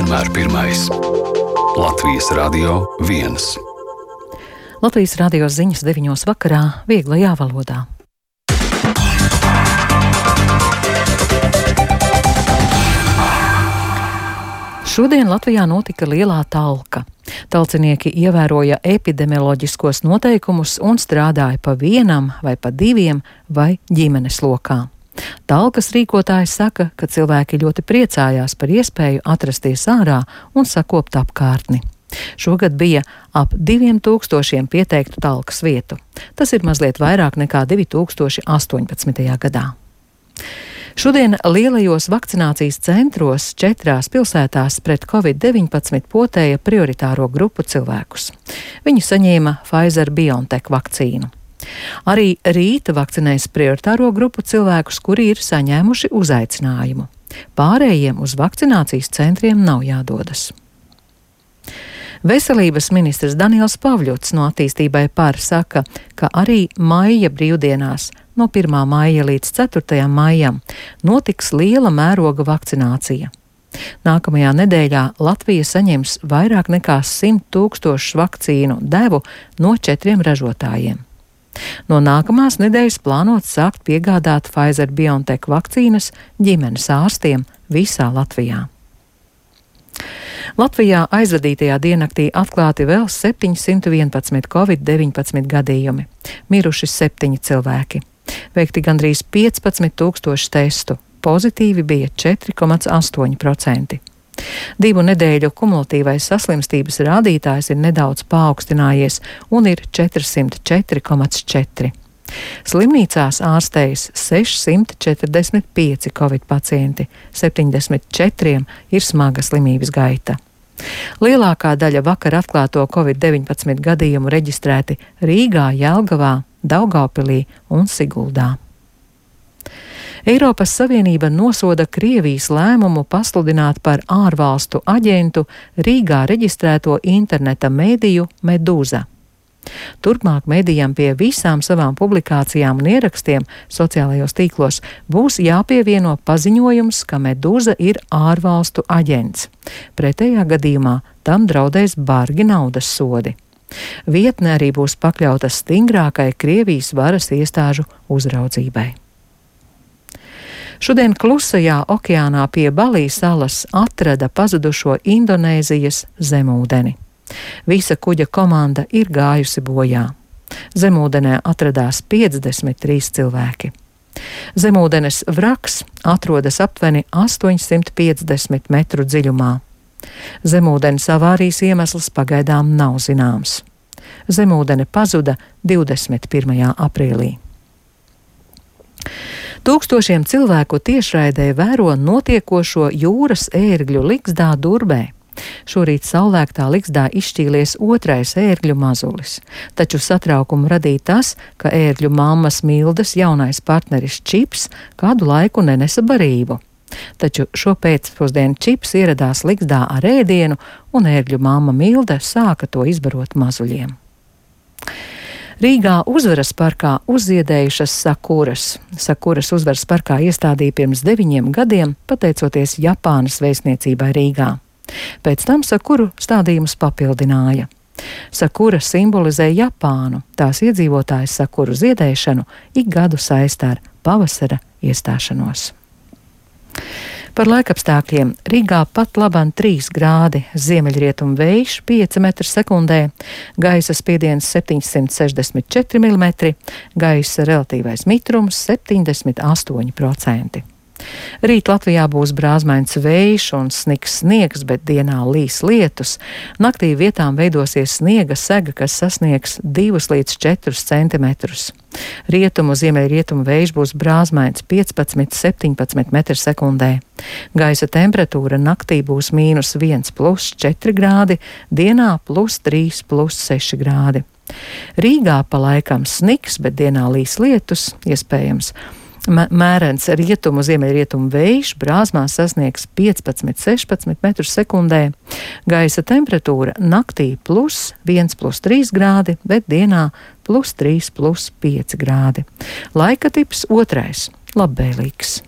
vienmēr pirmais. Latvijas Radio 1. Latvijas radio ziņas 9 vakarā vieglajā valodā. Šodien Latvijā notika lielā talka. Talcinieki ievēroja epidemioloģiskos noteikumus un strādāja pa vienam vai pa diviem vai ģimenes lokā. Talkas rīkotājs saka, ka cilvēki ļoti priecājās par iespēju atrasties ārā un sakopt apkārtni. Šogad bija ap 2000 pieteiktu talkas vietu. Tas ir mazliet vairāk nekā 2018. gadā. Šodien lielajos vakcinācijas centros 4 pilsētās pret Covid-19 potēja prioritāro grupu cilvēkus. Viņi saņēma Pfizer-BioNTech vakcīnu. Arī rīta vakcinēs prioritāro grupu cilvēkus, kuri ir saņēmuši uzaicinājumu. Pārējiem uz vakcinācijas centriem nav jādodas. Veselības ministrs Daniels Pavļuts no Attīstībai par saka, ka arī maija brīvdienās no 1. maija līdz 4. maijam notiks liela mēroga vakcinācija. Nākamajā nedēļā Latvija saņems vairāk nekā 100 000 vakcīnu devu no 4 ražotājiem. No nākamās nedēļas plānots sākt piegādāt Pfizer-BioNTech vakcīnas ģimenes ārstiem visā Latvijā. Latvijā aizvadītajā diennaktī atklāti vēl 711 Covid-19 gadījumi, miruši 7 cilvēki. Veikti gandrīz 15 000 testu, pozitīvi bija 4,8%. 2 nedēļu kumulatīvais saslimstības rādītājs ir nedaudz paaugstinājies un ir 404,4. Slimnīcās ārstējas 645 Covid pacienti, 74 ir smaga slimības gaita. Lielākā daļa vakar atklāto Covid-19 gadījumu reģistrēti Rīgā, Jelgavā, Daugavpilī un Siguldā. Eiropas Savienība nosoda Krievijas lēmumu pasludināt par ārvalstu aģentu Rīgā reģistrēto interneta mēdīju Medūza. Turpmāk mēdījam pie visām savām publikācijām un ierakstiem sociālajos tīklos būs jāpievieno paziņojums, ka Medūza ir ārvalstu aģents. Pretējā gadījumā tam draudēs bargi naudas sodi. Vietne arī būs pakļauta stingrākai Krievijas varas iestāžu uzraudzībai. Šodien Klusajā okeānā pie Balī salas atrada pazudušo Indonēzijas zemūdeni. Visa kuģa komanda ir gājusi bojā. Zemūdenē atradās 53 cilvēki. Zemūdenes vraks atrodas aptuveni 850 metru dziļumā. Zemūdenes avārijas iemesls pagaidām nav zināms. Zemūdene pazuda 21. aprīlī. Tūkstošiem cilvēku tiešraidē vēro notiekošo jūras ērgļu ligzdā Durbē. Šorīt saulēktā ligzdā izšķīlies 2. ērgļu mazulis, taču satraukumu radīja tas, ka ērgļu mammas Mildes jaunais partneris Čips kādu laiku nenesa barību. Taču šo pēcpusdienu Čips ieradās ligzdā ar ēdienu, un ērgļu mamma Milde sāka to izbarot mazuļiem. Rīgā Uzvaras parkā uzziedējušas sakuras. Sakuras Uzvaras parkā iestādīja pirms 9 gadiem, pateicoties Japānas vēstniecībai Rīgā. Pēc tam sakuru stādījumus papildināja. Sakura simbolizē Japānu, tās iedzīvotājs sakuru ziedēšanu ik gadu saista ar pavasara iestāšanos. Par laikapstākļiem Rīgā pat laban 3 grādi, ziemeļrietumu vējš 5 m/sekundē, gaisa spiediens 764 mm, gaisa relatīvais mitrums 78%. Rīt Latvijā būs brāzmains vējš un sniegs, bet dienā līs lietus. Naktī vietām veidosies sniega sega, kas sasniegs 2 līdz 4 centimetrus. Rietumu, ziemeļrietumu vējš būs brāzmains 15–17 m/sekundē. Gaisa temperatūra naktī būs -1 + 4 grādi, dienā +3 + 6 grādi. Rīgā pa laikam sniks, bet dienā līs lietus, iespējams. Mērens rietumu, ziemeļrietumu vējš brāzmās sasniegs 15–16 m/sekundē. Gaisa temperatūra naktī +1 + 3 grādi, bet dienā +3 + 5 grādi. Laika tips 2. labvēlīgs.